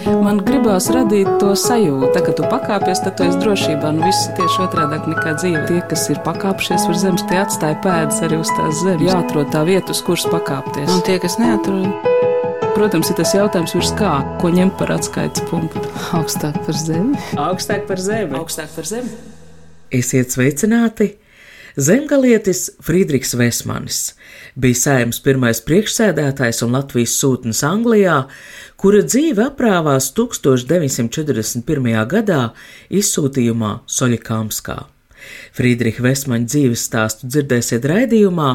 Man gribās radīt to sajūtu, ka tu pakāpies, tad tu esi drošībā. Viss tieši otrādāk nekā dzīve. Tie, kas ir pakāpšies uz zemes, tie atstāja pēdas arī uz tās zemes. Jāatrod tā vieta, uz kuras pakāpties. Un tie, kas neatrod? Protams, ir tas jautājums virs kā, ko ņemt par atskaites punktu. Augstāk par zemi. Augstāk par zemi. Augstāk par zemi. Esiet sveicināti! Zemgalietis Friedrichs Vesmanis bija Saeimas pirmais priekšsēdētājs un Latvijas sūtnis Anglijā, kura dzīve aprāvās 1941. gadā izsūtījumā Soļikamskā. Friedricha Vesmaņa dzīves stāstu dzirdēsiet raidījumā,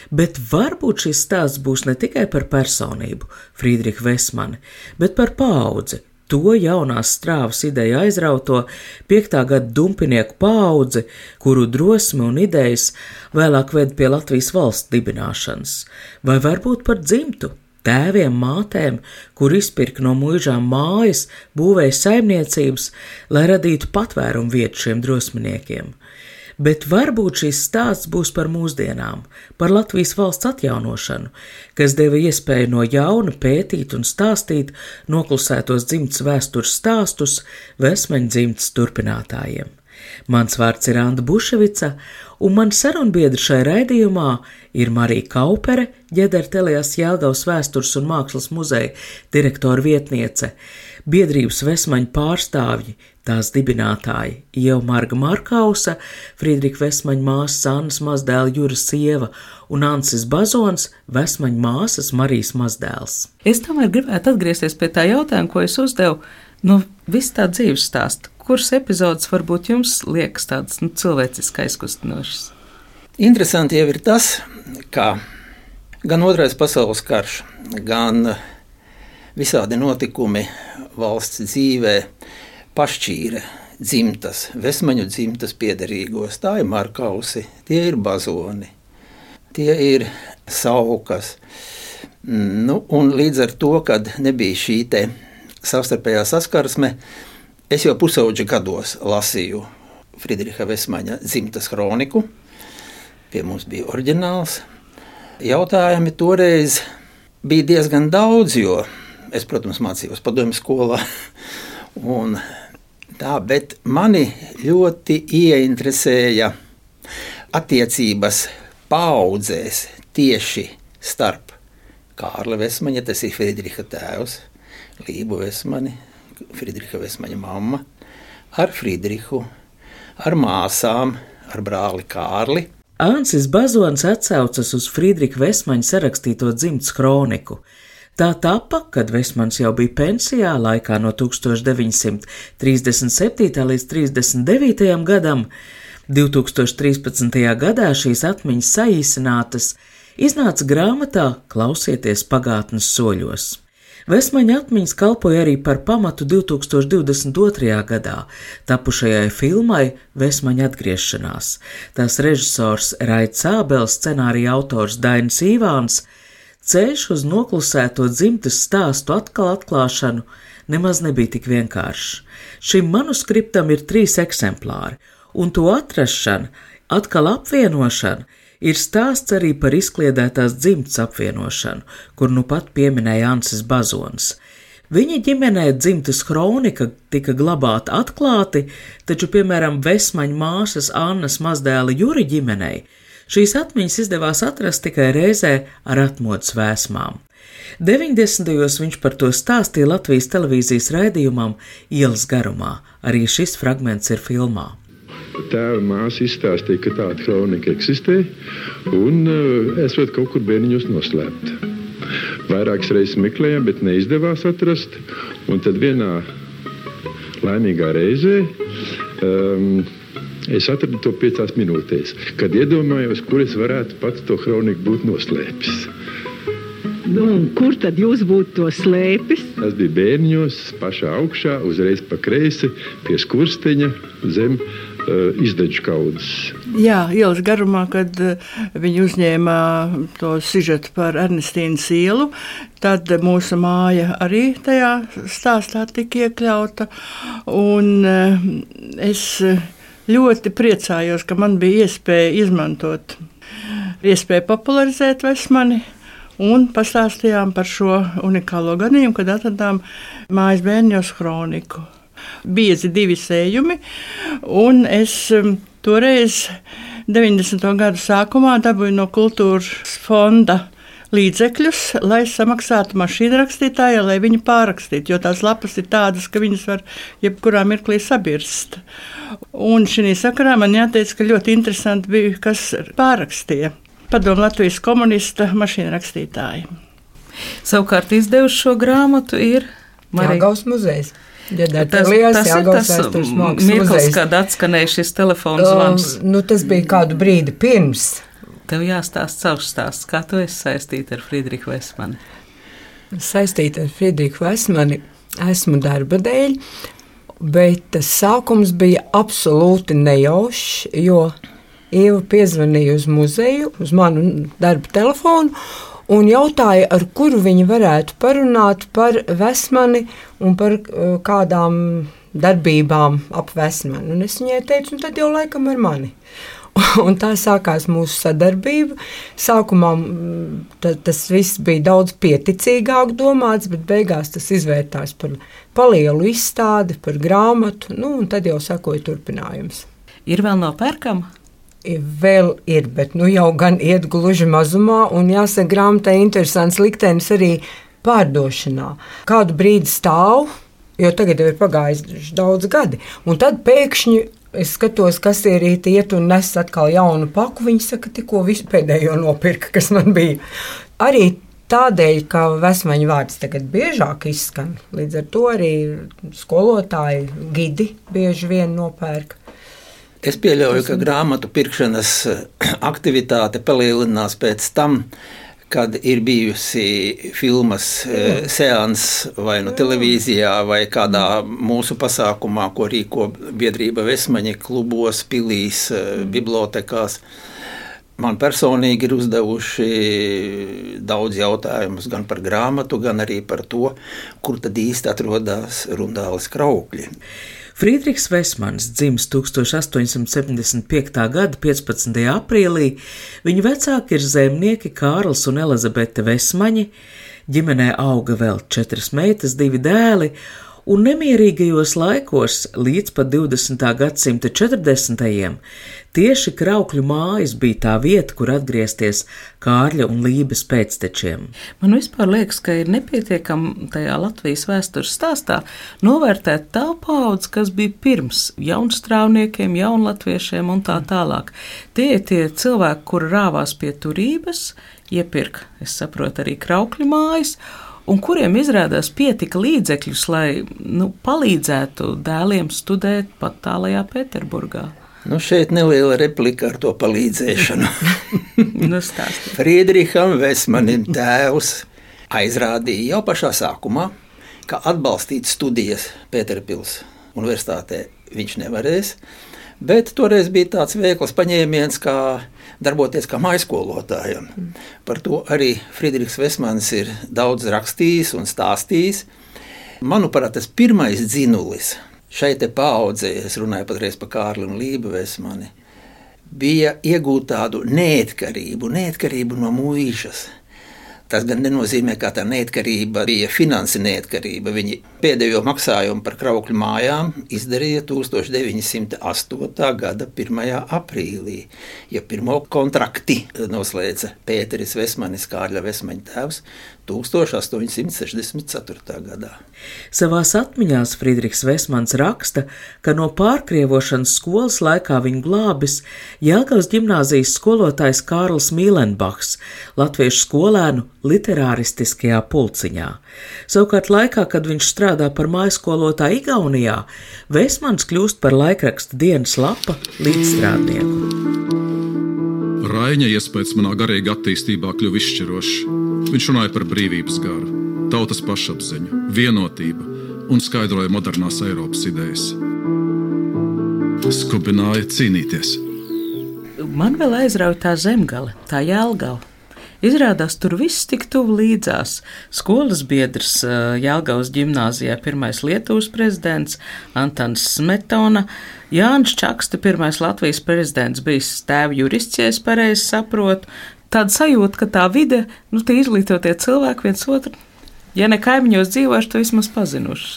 bet varbūt šis stāsts būs ne tikai par personību Friedrichu Vesmani, bet par paudzi, to jaunās strāvas ideja aizrauto 5. gada dumpinieku paudzi, kuru drosmi un idejas vēlāk ved pie Latvijas valsts dibināšanas, vai varbūt par dzimtu, tēviem, mātēm, kur izpirka no muižām mājas, būvēja saimniecības, lai radītu patvērumu vietu šiem drosminiekiem. Bet varbūt šis stāsts būs par mūsdienām, par Latvijas valsts atjaunošanu, kas deva iespēju no jauna pētīt un stāstīt noklusētos dzimtas vēstures stāstus Vesmaņa dzimtas turpinātājiem. Mans vārds ir Anda Buševica, un man sarunbiedri šai raidījumā ir Marija Kaupere, Ģedera Telijās Jelgavas vēstures un mākslas muzeja direktora vietniece, biedrības Vesmaņa pārstāvji, tās dibinātāji Ieva Marga Markausa, Friedricha Vesmaņa māsas Annas mazdēla Jura sieva un Ansis Bazons, Vesmaņa māsas Marijas mazdēls. Es tomēr gribētu atgriezties pie tā jautājuma, ko es uzdevu, visu tā dzīves stāstu. Kuras epizodes varbūt jums liekas tādas cilvēciski aizkustinošas? Interesanti jau ir tas, ka gan Otrais pasaules karš, gan visādi notikumi valsts dzīvē pašķīra dzimtas, Vesmaņu dzimtas piederīgos. Tā ir Markausi, tie ir Bazoni, tie ir Saukas. Un līdz ar to, kad nebija šī te savstarpējā saskarsme, es jau pusauģa gados lasīju Friedricha Vesmaņa dzimtas kroniku. Pie mums bija oriģināls. Jautājumi toreiz bija diezgan daudz, jo es, protams, mācījos padomju skolā. Bet mani ļoti ieinteresēja attiecības paaudzēs tieši starp Kārli Vesmaņa, tas ir Friedricha tēvs, Lību Vesmani, Friedricha Vesmaņa mamma, ar Friedrichu, ar māsām, ar brāli Kārli. Ansis Bazons atsaucas uz Friedricha Vesmaņa sarakstīto dzimtas kroniku. Tā tapa, kad Vesmanis jau bija pensijā laikā no 1937. līdz 39. gadam. 2013. gadā šīs atmiņas saīsinātas iznāca grāmatā Klausieties pagātnes soļos. Vesmaņa atmiņas kalpoja arī par pamatu 2022. gadā tapušajai filmai Vesmaņa atgriešanās. Tās režisors Raits Ābels, scenārija autors Dainis Ivāns. Ceļš uz noklusēto dzimtas stāstu atkal atklāšanu nemaz nebija tik vienkāršs. Šim manuskriptam ir 3 eksemplāri, un to atrašana, atkal apvienošana, ir stāsts arī par izkliedētās dzimtas apvienošanu, kur nu pat pieminēja Ansis Bazons. Viņa ģimenē dzimtas kronika tika glabāta atklāti, taču, piemēram, Vesmaņa māsas Annas mazdēla Juri ģimenei šīs atmiņas izdevās atrast tikai reizē ar atmodas vēsmām. 90. viņš par to stāstīja Latvijas televīzijas raidījumam Ielas garumā. Arī šis fragments ir filmā. Tēva māsa izstāstīja, ka tāda kronika eksistē, un esot kaut kur bērniņos noslēpta. Vairākas reizes meklējām, bet neizdevās atrast, un tad vienā laimīgā reizē es atradu to 5 minūtēs, kad iedomājos, kur es varētu pats to kroniku būt noslēpis. Kur tad jūs būtu to slēpis? Tas bija bērniņos, pašā augšā, uzreiz pa kreisi, pie skursteņa, zem izdeģu kaudzes. Jā, Ielas garumā, kad viņi uzņēma to sižetu par Ernestīnas ielu, tad mūsu māja arī tajā stāstā tika iekļauta, un es ļoti priecājos, ka man bija iespēja izmantot, iespēja popularizēt Vesmani un pastāstījām par šo unikālo gadījumu, kad atradām mājas bērņos kroniku. Biezi 2 sējumi, un es toreiz 90. gadu sākumā dabūju no kultūras fonda līdzekļus, lai samaksātu mašīnrakstītājai, lai viņi pārrakstītu, jo tās lapas ir tādas, ka viņas var jebkurā mirklī sabirst. Un šī sakarā man jāteic, ka ļoti interesanti bija, kas pārrakstīja. Padomu Latvijas komunista mašīnrakstītāji. Savukārt izdevuši šo grāmatu ir Jelgavas muzejs. Tas ir tas mirklis, kad atskanēja šis telefons zvans. Tas bija kādu brīdi pirms. Tev jāstāst savs stāsts, kā tu esi saistīta ar Friedrichu Vesmani? Saistīta ar Friedrichu Vesmani esmu darba dēļ, bet tas sākums bija absolūti nejaušs, jo Ieva piezvanīja uz muzeju, uz manu darba telefonu un jautāja, ar kuru viņi varētu parunāt par Vesmani un par kādām darbībām ap Vesmani. Un es viņai teicu, tad jau laikam ar mani. Un tā sākās mūsu sadarbība. Sākumā tas viss bija daudz pieticīgāk domāts, bet beigās tas izvērtās par lielu izstādi, par grāmatu, un tad jau sakoja turpinājums. Ir vēl nopērkama? Vēl ir, bet jau gan iet gluži mazumā, un jāsaka, grāmatai interesants liktenis arī pārdošanā. Kādu brīdi stāv, jo tagad jau ir pagājis daudz gadi, un tad pēkšņi es skatos, kas iet un nes atkal jaunu paku. Viņi saka, tikko visu pēdējo nopirka, kas man bija. Arī tādēļ, ka Vesmaņa vārds tagad biežāk izskan. Līdz ar to arī skolotāji, gidi bieži vien nopērk. Es pieļauju, ka grāmatu pirkšanas aktivitāte palielinās pēc tam, kad ir bijusi filmas seans vai televīzijā vai kādā mūsu pasākumā, ko rīko biedrība Vesmaņa klubos, pilīs, bibliotekās. Man personīgi ir uzdevuši daudz jautājumus gan par grāmatu, gan arī par to, kur tad īsti atrodas Rundāles Kraukļi. Friedrichs Vesmanis dzimis 1875. gada 15. aprīlī. Viņa vecāki ir zemnieki Kārlis un Elizabete Vesmaņi, ģimenē auga vēl 4 meitas, 2 dēli, un nemierīgajos laikos līdz pat 20. gadsimta 40. tieši Kraukļu mājas bija tā vieta, kur atgriezties Kārļa un Lības pēctečiem. Man vispār liekas, ka ir nepietiekami tajā Latvijas vēstures stāstā novērtēt tā paudze, kas bija pirms jaunstrāvniekiem, jaunlatviešiem un tā tālāk. Tie ir tie cilvēki, kuri rāvās pie turības, iepirka, es saprotu, arī Kraukļu mājas, un kuriem izrādās pietika līdzekļus, lai palīdzētu dēliem studēt pat tālajā Pēterburgā. Šeit neliela replika ar to palīdzēšanu. Friedricham Vesmanim tēvs aizrādīja jau pašā sākumā, ka atbalstīt studijas Pēterpils universitātē viņš nevarēs, bet toreiz bija tāds veikls paņēmiens, kā darboties kā mājaskolotājam. Par to arī Friedrichs Vesmanis ir daudz rakstījis un stāstījis. Manuprāt, tas pirmais dzinulis šai te paaudzē, es runāju patreiz par Kārli un Lību Vesmani, bija iegūt tādu neatkarību no mūžas. Tas gan nenozīmē, ka tā neatkarība bija finansi neatkarība. Viņi pēdējo maksājumu par Kraukļu mājām izdarīja 1908. gada 1. aprīlī, ja pirmo kontrakti noslēdza Pēteris Vesmanis, Kārļa Vesmaņa tēvs, 1864. gadā. Savās atmiņās Friedrichs Vesmanis raksta, ka no pārkrievošanas skolas laikā viņu glābis Jelgavas ģimnāzijas skolotājs Kārlis Mīlenbachs, latviešu skolēnu literāristiskajā pulciņā. Savukārt laikā, kad viņš strādā par mājskolotāju Igaunijā, Vesmanis kļūst par laikraksta Dienas lapa līdzstrādnieku. Raiņa iespējas manā garīga attīstībā kļuva izšķirošs. Viņš runāja par brīvības garu, tautas pašapziņu, vienotību un skaidroja modernās Eiropas idejas. Skubināja cīnīties. Man vēl aizrauja tā Zemgale, tā Jelgava. Izrādās, tur viss tik tuvu līdzās. Skolas biedrs Jelgavas ģimnāzijā pirmais Lietuvas prezidents Antans Smetona, Jānis Čakste, pirmais Latvijas prezidents, bijis tēva jurists, ja es pareizi saprotu, tāda sajūta, ka tā vide, tie izglītotie cilvēki viens otru, ja ne kaimiņos dzīvojuši, to vismaz pazinuši.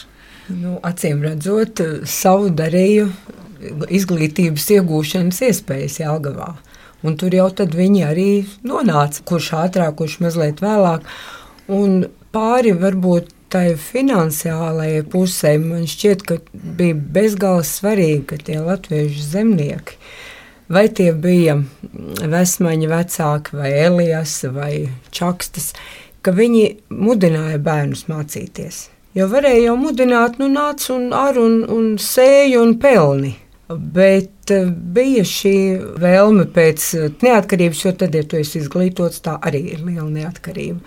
Acīm redzot, savu darīju izglītības iegūšanas iespējas Jelgavā. Un tur jau tad viņi arī nonāca, kurš ātrāk, kurš mazliet vēlāk. Un pāri varbūt tai finansiālajai pusē man šķiet, ka bija bezgalīgi svarīgi, ka tie latviešu zemnieki, vai tie bija Vesmaņa vecāki, vai Elijas, vai Čakstas, ka viņi mudināja bērnus mācīties. Jo varēja jau mudināt, nāc un ar un sēju un pelni. Bet bija šī vēlme pēc neatkarības, jo tad, ja tu esi izglītots, tā arī ir liela neatkarība.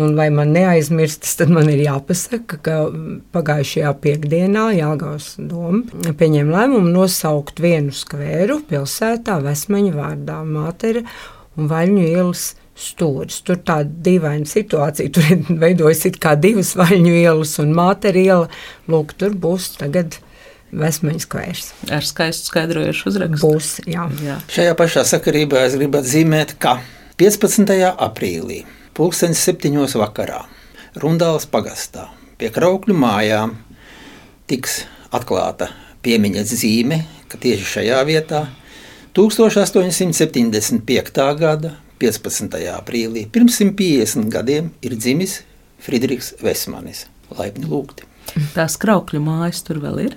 Un lai man neaizmirstas, tad man ir jāpasaka, ka pagājušajā piekdienā Jelgavas doma pieņēma lēmumu nosaukt vienu skvēru pilsētā Vesmaņa vārdā, Mātera un Vaļņu ielas stūris. Tur tāda dīvaina situācija, tur ir veidojas it kā divas Vaļņu ielas un Mātera iela. Lūk, tur būs tagad Vesmaņa skvērs. Ar skaistu skaidrojušu uzrakstu. Būs, jā. Šajā pašā sakarībā es gribu atzīmēt, ka 15. aprīlī 7:00 vakarā Rundāles pagastā pie Kraukļu mājām tiks atklāta piemiņas zīme, ka tieši šajā vietā 1875. gada 15. aprīlī pirms 150 gadiem ir dzimis Fridriks Vesmanis. Laipni lūgti. Tās Kraukļu mājas tur vēl ir?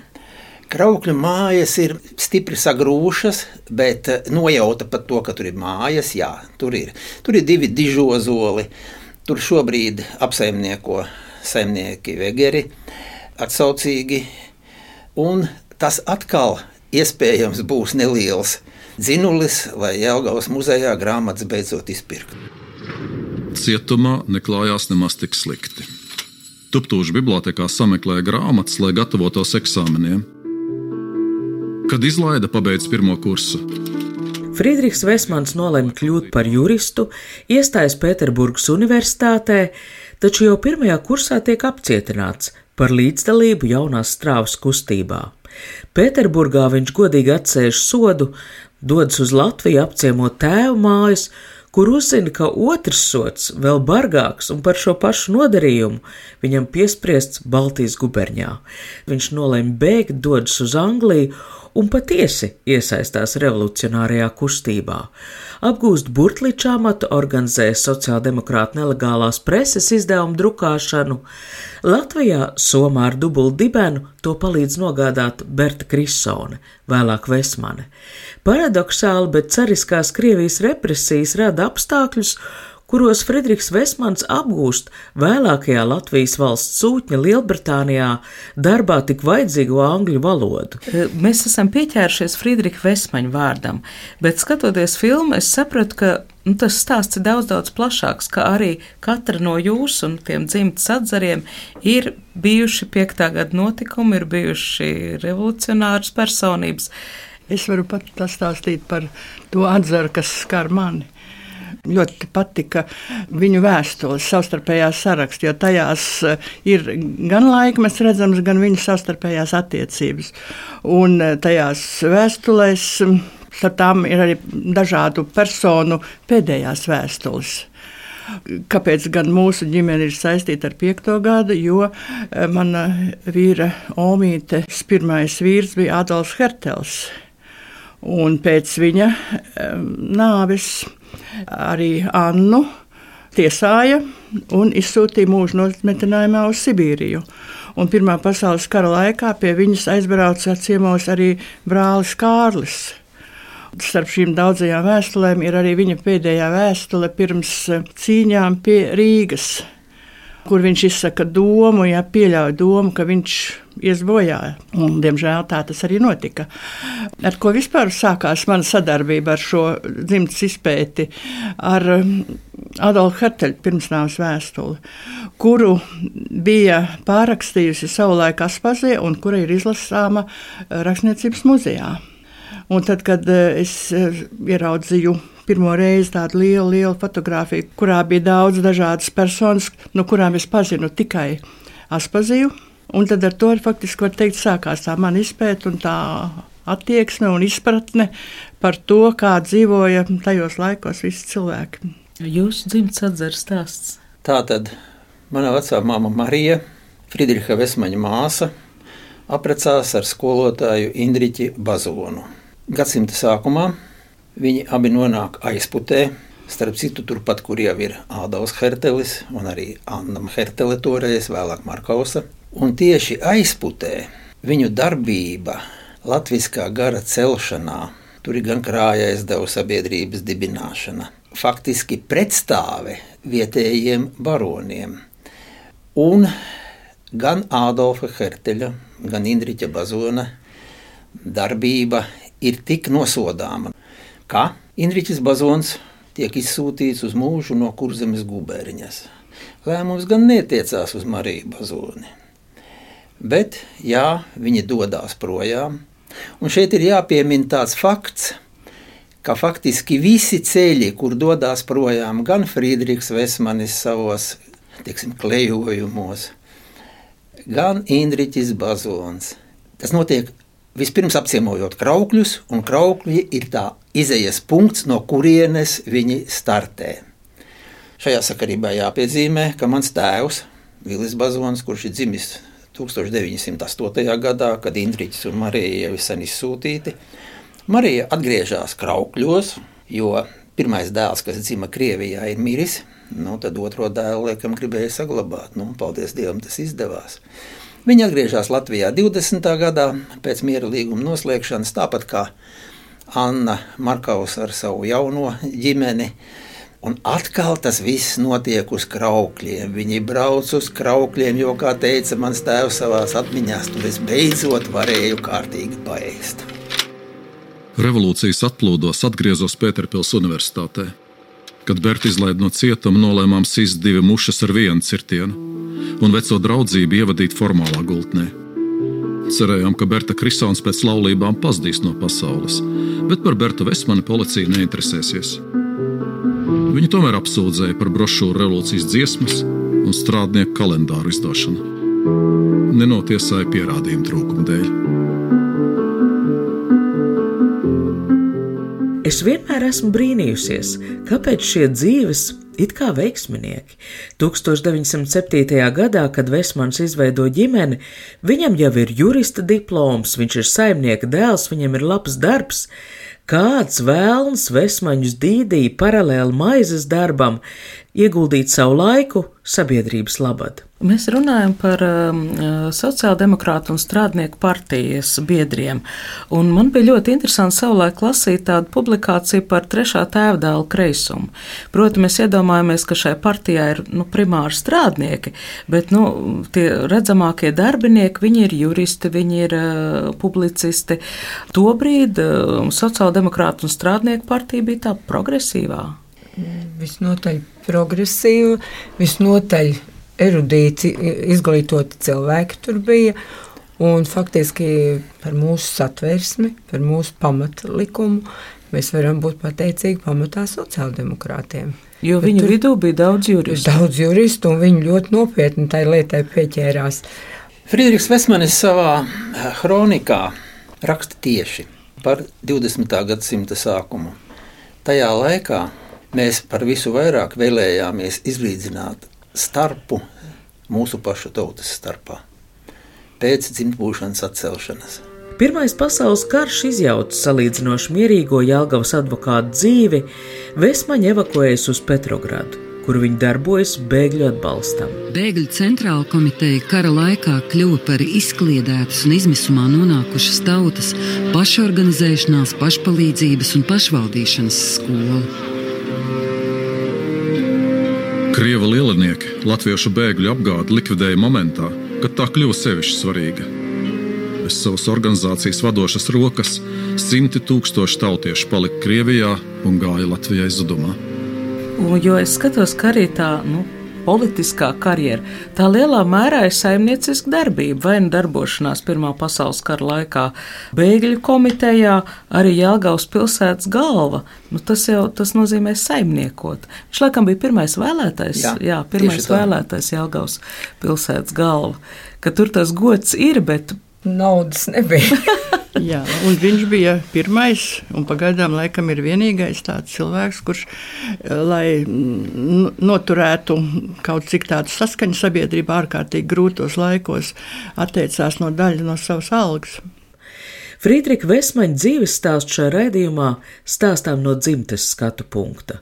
Kraukļu mājas ir stipri sagrūšas, bet nojauta par to, ka tur ir mājas, jā, tur ir. Tur ir 2 dižozoli, tur šobrīd apsaimnieko saimnieki Vegeri atsaucīgi, un tas atkal iespējams būs neliels dzinulis, lai Jelgavas muzejā grāmatas beidzot izpirkt. Cietumā neklājās nemaz tik slikti. Tuptūžu bibliotēkā sameklēja grāmatas, lai gatavotos eksāmeniem. Kad izlaida, pabeidz 1. kursu. Fridriks Vesmans nolēma kļūt par juristu, iestājas Pēterburgas universitātē, taču jau 1. kursā tiek apcietināts par līdzdalību jaunās strāvas kustībā. Pēterburgā viņš godīgi atsēž sodu, dodas uz Latviju apciemot tēvu mājas, kur uzzina, ka otrs sods, vēl bargāks un par šo pašu nodarījumu, viņam piespriests Baltijas guberņā. Viņš nolēma bēgt, dodas uz Angliju un patiesi iesaistās revolucionārajā kustībā. Apgūst burtliča amatu, organizē sociāldemokrāta nelegālās preses izdevumu drukāšanu. Latvijā Somā ar dubult dibenu to palīdz nogādāt Berta Krisone, vēlāk Vesmane. Paradoxāli, bet cariskās Krievijas represijas rada apstākļus, kuros Fridriks Vesmans apgūst vēlākajā Latvijas valsts sūtņa Lielbritānijā darbā tik vajadzīgo angļu valodu. Mēs esam pieķērušies Fridrika Vesmaņa vārdam, bet skatoties filmu, es sapratu, ka tas stāsts ir daudz plašāks, ka arī katra no jūsu un tiem dzimtas atzariem ir bijuši 5. gada notikumi, ir bijuši revolucionāras personības. Es varu pat pastāstīt par to atzaru, kas skar mani. Ļoti patika viņu vēstules, savstarpējās saraksti, jo tajās ir gan laikmets redzams, gan viņu savstarpējās attiecības. Un tajās vēstulēs starp tām ir arī dažādu personu pēdējās vēstules. Kāpēc gan mūsu ģimene ir saistīta ar 5. gadu? Jo mana vīra Omītes pirmais vīrs bija Adolfs Hertels. Un pēc viņa nāves arī Annu tiesāja un izsūtīja mūža nometinājumā uz Sibīriju. Un Pirmā pasaules kara laikā pie viņas aizbrauca ciemos arī brālis Kārlis. Starp šīm daudzajām vēstulēm ir arī viņa pēdējā vēstule pirms cīņām pie Rīgas, kur viņš izsaka domu, pieļauj domu, ka viņš ies bojā. Un, diemžēl tā tas arī notika. Ar ko vispār sākās mana sadarbība ar šo dzimtas izpēti, ar Adolfu Herteļu pirmsnāves vēstuli, kuru bija pārrakstījusi savulaik Aspazie un kura ir izlasāma Rakstniecības muzejā. Un tad, kad es ieraudzīju pirmo reizi tādu lielu fotogrāfiju, kurā bija daudz dažādas personas, no kurām es pazinu tikai Aspaziju. Un tad ar to faktiski var teikt sākās tā mana izpēta un tā attieksme un izpratne par to, kā dzīvoja tajos laikos visi cilvēki. Jūsu dzimtas atzares stāsts? Tātad mana vecā māma Marija, Friedriha Vesmaņa māsa, apprecās ar skolotāju Indriķi Bazonu. Gadsimta sākumā viņi abi nonāk Aizputē, starp citu turpat, kur jau ir Ādavs Hertelis un arī Anna Hertele toreiz, vēlāk Markausa. Un tieši Aizputē viņu darbība latviskā gara celšanā, tur ir gan krāja aizdevu sabiedrības dibināšana, faktiski pretstāve vietējiem baroniem. Un gan Ādolfa Herteļa, gan Indriķa Bazona darbība ir tik nosodāma, ka Indriķis Bazons tiek izsūtīts uz mūžu no Kurzemes guberņas. Lēmums gan netiecās uz Mariju Bazoni. Bet, jā, viņi dodās projām. Un šeit ir jāpiemina tāds fakts, ka faktiski visi ceļi, kur dodās projām, gan Friedrichs Vesmanis savos, klejojumos, gan Indriķis Bazons. Tas notiek vispirms apciemojot Kraukļus, un Kraukļi ir tā izejas punkts, no kurienes viņi startē. Šajā sakarībā jāpiezīmē, ka mans tēvs, Vilis Bazons, kurš ir dzimis 1908. gadā, kad Indriķis un Marija jau ir sen izsūtīti, Marija atgriežas Kraukļos, jo pirmais dēls, kas dzima Krievijā, ir miris, tad otro dēlu laikam gribēja saglabāt, paldies Dievam, tas izdevās. Viņa atgriežas Latvijā 20. gadā pēc miera līguma noslēgšanas, tāpat kā Anna Markaus ar savu jauno ģimeni. Un atkal tas viss notiek uz Kraukļiem. Viņi brauc uz Kraukļiem, jo, kā teica mans tēvs savās atmiņās, tur es beidzot varēju kārtīgi paēst. Revolūcijas atplūdos atgriezos Pēterpils universitātē. Kad Berta izlaida no cietuma, nolēmām sist 2 mušas ar 1 cirtienu un veco draudzību ievadīt formālā gultnē. Cerējām, ka Berta Krisons pēc laulībām pazudīs no pasaules, bet par Bertu Vesmani policija neinteresēsies. Viņu tomēr apsūdzēja par brošūru revolūcijas dziesmas un strādnieku kalendāru izdošanu. Nenotiesāja pierādījumu trūkuma dēļ. Es vienmēr esmu brīnījusies, kāpēc šie dzīves it kā veiksminieki. 1907. gadā, kad Vesmans izveido ģimeni, viņam jau ir jurista diploms, viņš ir saimnieka dēls, viņam ir labs darbs. Kāds vēlns Vesmaņus dīdīja paralēli maizes darbam, ieguldīt savu laiku sabiedrības labad. Mēs runājam par sociāldemokrātu un strādnieku partijas biedriem, un man bija ļoti interesanti savulaik lasīt tādu publikāciju par trešā tēvdēla kreisumu. Proti, mēs iedomājamies, ka šai partijā ir primāri strādnieki, bet tie redzamākie darbinieki, viņi ir juristi, viņi ir publicisti. Tobrīd sociāldemokrātu un strādnieku partija bija tā progresīvā. Visnotaļ progresīva, visnotaļ erudīti, izglītoti cilvēki tur bija, un faktiski par mūsu satversmi, par mūsu pamatlikumu mēs varam būt pateicīgi pamatā sociāldemokrātiem. Jo viņu vidū bija daudz juristu. Daudz juristu, un viņi ļoti nopietni tai lietai pieķērās. Friedrichs Vesmanis savā kronikā raksta tieši par 20. gadsimta sākumu. Tajā laikā mēs par visu vairāk vēlējāmies izlīdzināt starpu mūsu pašu tautas starpā pēc dzimtbūšanas atcelšanas. Pirmais pasaules karš izjauca salīdzinoši mierīgo Jelgavas advokātu dzīvi, Vesmaņi evakuējas uz Petrogradu, kur viņi darbojas bēgļu atbalstam. Bēgļu centrāla komiteja kara laikā kļuva par izkliedētas un izmisumā nonākušas tautas pašorganizēšanās, pašpalīdzības un pašvaldīšanas skolu. Krievu lielinieki latviešu bēgļu apgādi likvidēja momentā, kad tā kļuva sevišķi svarīga. Bez savas organizācijas vadošas rokas 100 000 tautiešu palika Krievijā un gāja Latvijai zudumā. Jo es skatos, ka arī tā politiskā karjera, tā lielā mērā ir saimnieciska darbība, vai darbošanās Pirmā pasaules kara laikā bēgļu komitejā, arī Jelgavas pilsētas galva. Tas nozīmē saimniekot. Viņš laikam bija pirmais vēlētais, pirmais vēlētais Jelgavas pilsētas galva, ka tur tas gods ir, bet naudas nebija. Jā, un viņš bija pirmais un pagaidām laikam ir vienīgais tāds cilvēks, kurš, lai noturētu kaut cik tādu saskaņu sabiedrībā ārkārtīgi grūtos laikos, atteicās no daļa no savas algas. Frīdrika Vesmaņa dzīves stāstu šajā raidījumā stāstām no dzimtes skatu punkta.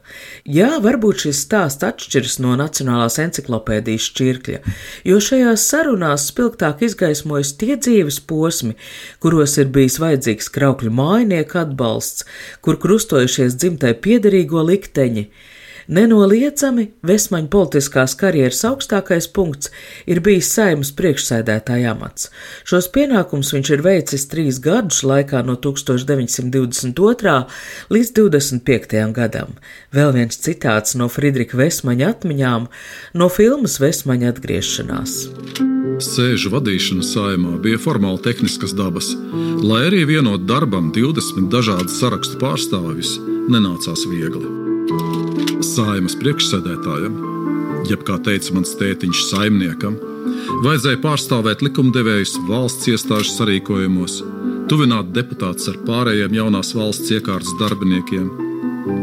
Jā, varbūt šis stāsts atšķiras no Nacionālās enciklopēdijas šķirkļa, jo šajās sarunās spilgtāk izgaismojas tie dzīves posmi, kuros ir bijis vajadzīgs kraukļu mājinieku atbalsts, kur krustojušies dzimtai piederīgo likteņi. Nenoliedzami Vesmaņa politiskās karjeras augstākais punkts ir bijis Saeimas priekšsēdētāja amats. Šos pienākumus viņš ir veicis 3 gadus laikā no 1922. līdz 25. gadam. Vēl viens citāts no Frīdrika Vesmaņa atmiņām no filmas Vesmaņa atgriešanās. Sēžu vadīšana Saeimā bija formāli tehniskas dabas, lai arī vienot darbam 20 dažādu sarakstu pārstāvjus nenācās viegli. Saeimas priekšsēdētājam, jeb kā teica mans tētiņš saimniekam, vajadzēja pārstāvēt likumdevējus valsts iestāžu sarīkojumos, tuvināt deputātus ar pārējiem jaunās valsts iekārtas darbiniekiem,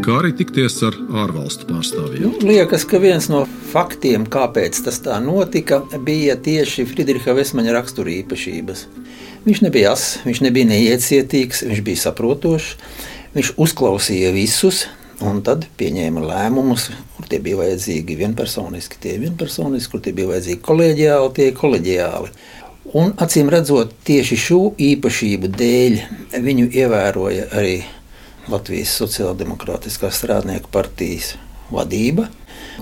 kā arī tikties ar ārvalstu pārstāvjiem. Liekas, ka viens no faktiem, kāpēc tas tā notika, bija tieši Frīdriha Vesmaņa raksturīpašības. Viņš nebija ass, viņš nebija neiecietīgs, viņš bija saprotošs, viņš uzklausīja visus, un tad pieņēma lēmumus, kur tie bija vajadzīgi vienpersoniski, kur tie bija vajadzīgi kolēģiāli, tie kolēģiāli. Un acīm redzot, tieši šo īpašību dēļ viņu ievēroja arī Latvijas Sociāldemokrātiskās strādnieku partijas vadība,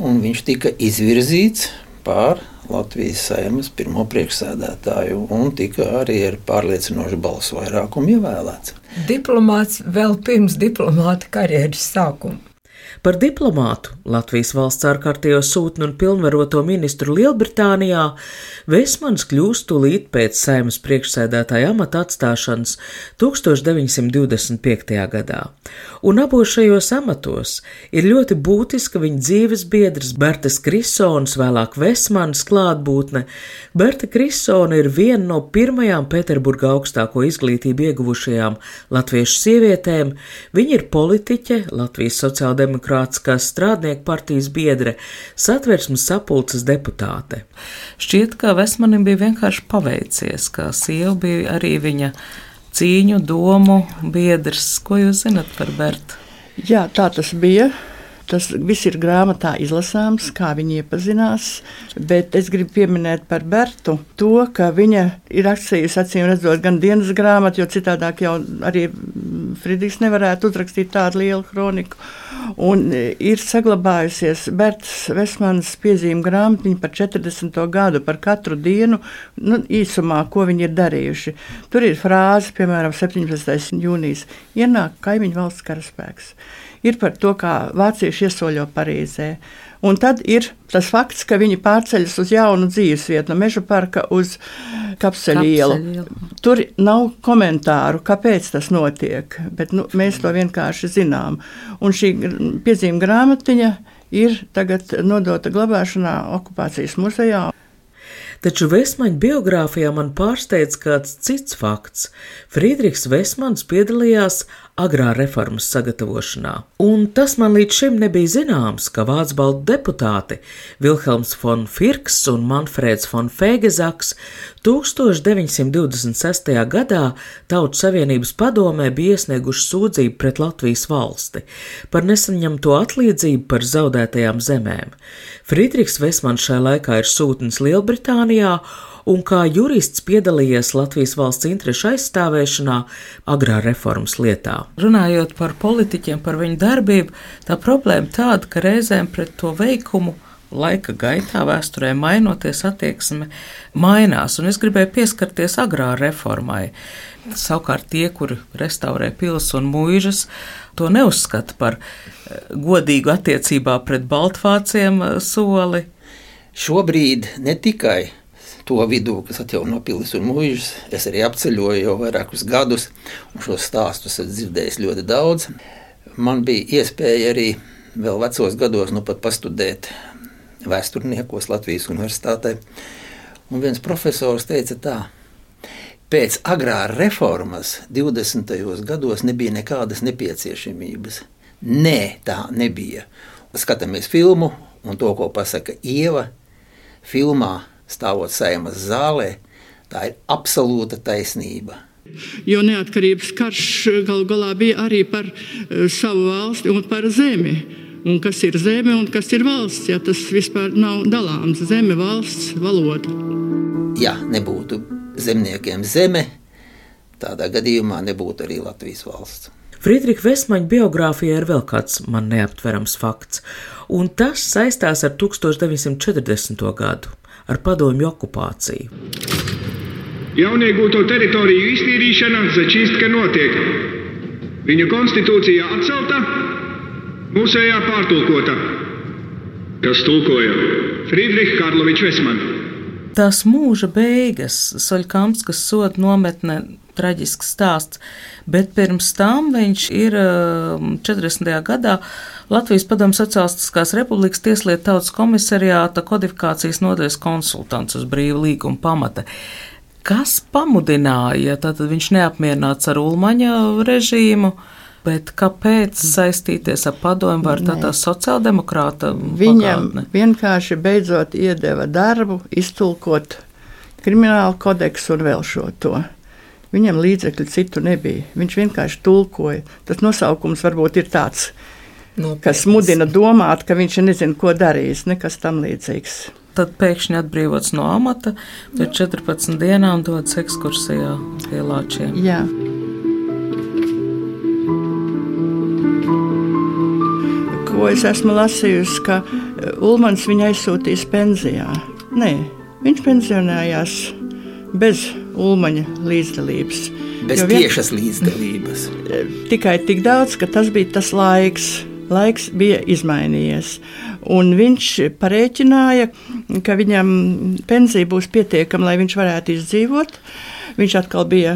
un viņš tika izvirzīts par Latvijas Saeimas pirmo priekšsēdētāju un tika arī ar pārliecinošu balsu vairākumu ievēlēts. Diplomāts vēl pirms diplomāta karjeras sākuma. Par diplomātu, Latvijas valsts ārkārtējo sūtni un pilnvaroto ministru Lielbritānijā, Vesmanis kļūst tūlīt pēc Saeimas priekšsēdētāja amata atstāšanas 1925. gadā. Un abos šajos amatos ir ļoti būtiska viņa dzīves biedrs Bertas Krisonas, vēlāk Vesmanis klātbūtne. Berta Krisona ir viena no pirmajām Pēterburgā augstāko izglītību ieguvušajām latviešu sievietēm. Viņa ir politiķe, Latvijas Sociāldemokrātiskās strādnieku partijas biedre, Satversmes sapulces deputāte. Šķiet, ka Vesmanim bija vienkārši paveicies, ka sieva bija arī viņa cīņu, domu biedrs. Ko jūs zinat par Bertu? Jā, tā tas bija. Tas viss ir grāmatā izlasāms, kā viņi iepazinās, bet es gribu pieminēt par Bertu to, ka viņa ir rakstījusi, acīm redzot, gan dienas grāmatu, jo citādāk jau arī Frīdriks nevarētu uzrakstīt tādu lielu kroniku. Un ir saglabājusies Bertas Vesmanas piezīme grāmatiņa par 40. gadu, par katru dienu, īsumā, ko viņi ir darījuši. Tur ir frāze, piemēram, 17. jūnijas, ienāk kaimiņu valsts karaspēks. Ir par to, kā vācieši iesoļo Parīzē. Un tad ir tas fakts, ka viņi pārceļas uz jaunu dzīvesvietu, no Meža parka uz Kapseļu ielu. Tur nav komentāru, kāpēc tas notiek, bet mēs to vienkārši zinām. Un šī piezīme grāmatiņa ir tagad nodota glabāšanā okupācijas muzejā. Taču Vesmaņa biogrāfijā man pārsteidz kāds cits fakts. Frīdriks Vesmanis piedalījās agrā reformas sagatavošanā, un tas man līdz šim nebija zināms, ka vācbaltu deputāti Vilhelms von Firks un Manfrēds von Fēgezaks 1926. gadā Tautas Savienības padomē bija iesnieguši sūdzību pret Latvijas valsti par nesaņemto atlīdzību par zaudētajām zemēm. Frīdriks Vesmanis šajā laikā ir sūtnis Lielbritānijā, un kā jurists piedalījies Latvijas valsts interešu aizstāvēšanā agrā reformas lietā. Runājot par politiķiem, par viņu darbību, tā problēma tāda, ka reizēm pret to veikumu laika gaitā, vēsturē mainoties, attieksme mainās, un es gribēju pieskarties agrā reformai. Savukārt tie, kuri restaurē pils un mūžas, to neuzskata par godīgu attiecībā pret baltvāciem soli. Šobrīd ne tikai to vidū, kas atjauno pilis un mūžas, es arī apceļoju jau vairākus gadus, un šos stāstus esmu dzirdējis ļoti daudz. Man bija iespēja arī vēl vecos gados pat pastudēt vēsturniekos Latvijas universitātē, un viens profesors teica tā, pēc agrāra reformas 20. gados nebija nekādas nepieciešamības. Nē, tā nebija. Skatāmies filmu un to, ko pasaka Ieva, filmā stāvot Saeimas zālē, tā ir absolūta taisnība. Jo neatkarības karš galu galā bija arī par savu valsti un par zemi. Un kas ir zeme un kas ir valsts, ja tas vispār nav dalāms. Zeme, valsts, valoda. Ja nebūtu zemniekiem zeme, tādā gadījumā nebūtu arī Latvijas valsts. Friedriha Vesmaņa biogrāfijā ir vēl kāds man neaptverams fakts, un tas saistās ar 1940. gadu, ar padomju okupāciju. Jauniegūto teritoriju iztīrīšana Začīstka notiek. Viņa konstitūcija atcelta, mūsējā pārtulkota. Kas tulkoja? Friedriha Karloviča Vesmaņa. Tās mūža beigas, Soļkamskas soda nometne, traģisks stāsts, bet pirms tam viņš ir 40. gadā Latvijas Padomju Sociālistiskās Republikas Tieslietu tautas komisariāta kodifikācijas nodaļas konsultants uz brīva līguma pamata. Kas pamudināja, tātad viņš neapmierināts ar Ulmaņa režīmu, bet kāpēc saistīties ar padomju var tā sociāldemokrāta Viņam pagātne? vienkārši beidzot iedeva darbu iztulkot kriminālu kodeksu un vēl šo to. Viņam līdzekļu citu nebija. Viņš vienkārši tulkoja. Tas nosaukums varbūt ir tāds, kas mudina domāt, ka viņš nezina, ko darīs, nekas tam līdzīgs. Tad pēkšņi atbrīvots no amata, pēc 14 dienām dodas ekskursijā pie Lāčiem. Jā. Ko es esmu lasījusi, ka Ulmans viņu aizsūtīs pensijā. Nē, viņš pensionējās bez Ulmaņa līdzdalības. Bez tiešas līdzdalības. Tikai tik daudz, ka tas bija tas laiks. Laiks bija izmainījies. Un viņš parēķināja, ka viņam pensija būs pietiekama, lai viņš varētu izdzīvot. Viņš atkal bija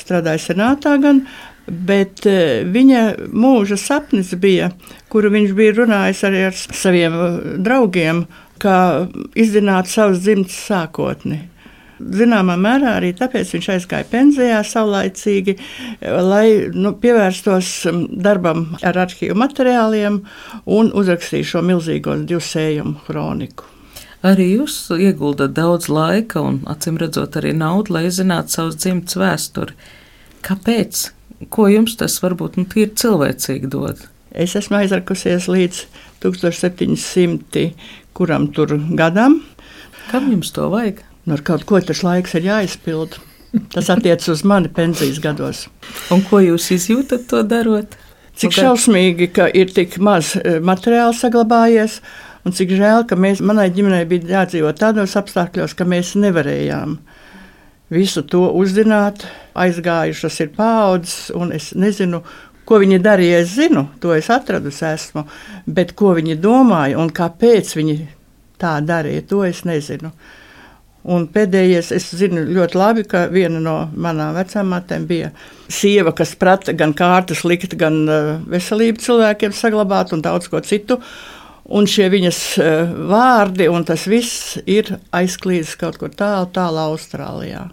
strādājis senātā gan, bet viņa mūža sapnis bija, kuru viņš bija runājis arī ar saviem draugiem, kā izzināt savas dzimtas sākotni. Zināmā mērā arī tāpēc viņš aizgāja pensijā saulaicīgi, lai pievērstos darbam ar arhīvu materiāliem un uzrakstīja šo milzīgo 2 sējumu kroniku. Arī jūs ieguldat daudz laika un, acīm redzot, arī naudu, lai zinātu savas dzimtas vēsturi. Kāpēc? Ko jums tas varbūt tīri cilvēcīgi dod? Es esmu aizrakusies līdz 1700 kuram tur gadam. Kam jums to vajag? Ar kaut ko tas laiks ir jāizpild. Tas attiec uz mani pensijas gados. Un ko jūs izjūtat to darot? Cik šausmīgi, ka ir tik maz materiāla saglabājies, un cik žēl, ka manai ģimenei bija jādzīvot tādos apstākļos, ka mēs nevarējām visu to uzzināt. Aizgājušas ir paaudzes, un es nezinu, ko viņi darīja. Es zinu, to es atradusi esmu, bet ko viņi domāja un kāpēc viņi tā darīja, to es nezinu. Un pēdējais, es zinu ļoti labi, ka viena no manām vecāmātēm bija sieva, kas prata gan kārtas likt, gan veselību cilvēkiem saglabāt un daudz ko citu. Un šie viņas vārdi un tas viss ir aizklīdis kaut kur tālu Austrālijā.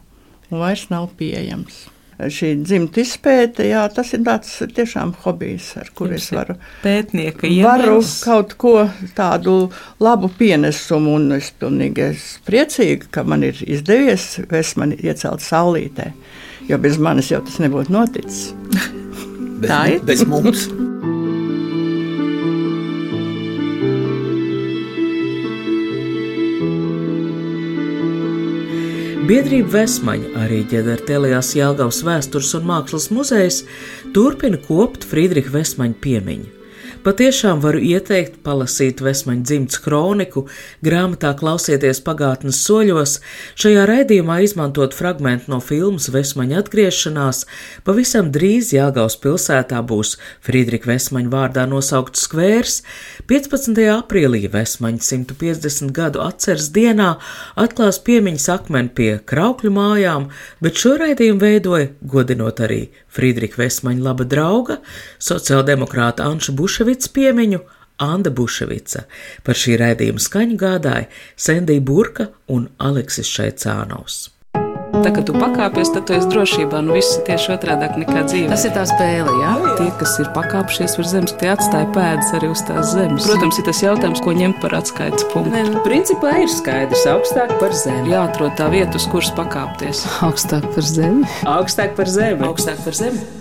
Un vairs nav pieejams. Šī dzimta izpēte, jā, tas ir tāds tiešām hobijs, ar kur es varu kaut ko tādu labu pienesumu, un es pilnīgi priecīga, ka man ir izdevies Vesmani iecelt saulītē, jo bez manis jau tas nebūtu noticis. Tā ir? Bez mums. Biedrība Vesmaņa, arī ģenertēlijās Jelgavas vēstures un mākslas muzejs, turpina kopt Friedriha Vesmaņa piemiņu. Patiešām varu ieteikt palasīt Vesmaņa dzimtas kroniku, grāmatā Klausieties pagātnes soļos, šajā raidījumā izmantot fragmentu no filmas Vesmaņa atgriešanās. Pavisam drīz Jelgavas pilsētā būs Friedriha Vesmaņa vārdā nosaukts skvērs. 15. aprīlī Vesmaņa 150 gadu atceres dienā atklās piemiņas akmeni pie Kraukļu mājām, bet šo raidījumu veidoja, godinot arī Friedriha Vesmaņa laba drauga, sociāldemokrāta Anša Buševica piemiņu, Anda Buševica. Par šī raidījuma skaņu gādāja Sendija Burka un Aleksis Šaicānovs. Tā, kad tu pakāpies, tad tu esi drošībā. Viss ir tieši otrādāk nekā dzīve. Tas ir tā spēle, jā? Tie, kas ir pakāpšies virs zemes, tie atstāja pēdas arī uz tās zemes. Protams, ir tas jautājums, ko ņemt par atskaites punktu. Principā ir skaidrs, augstāk par zemi. Jāatrod tā vieta, uz kuras pakāpties. Augstāk par zemi. Augstāk par zemi. Augstāk par zemi.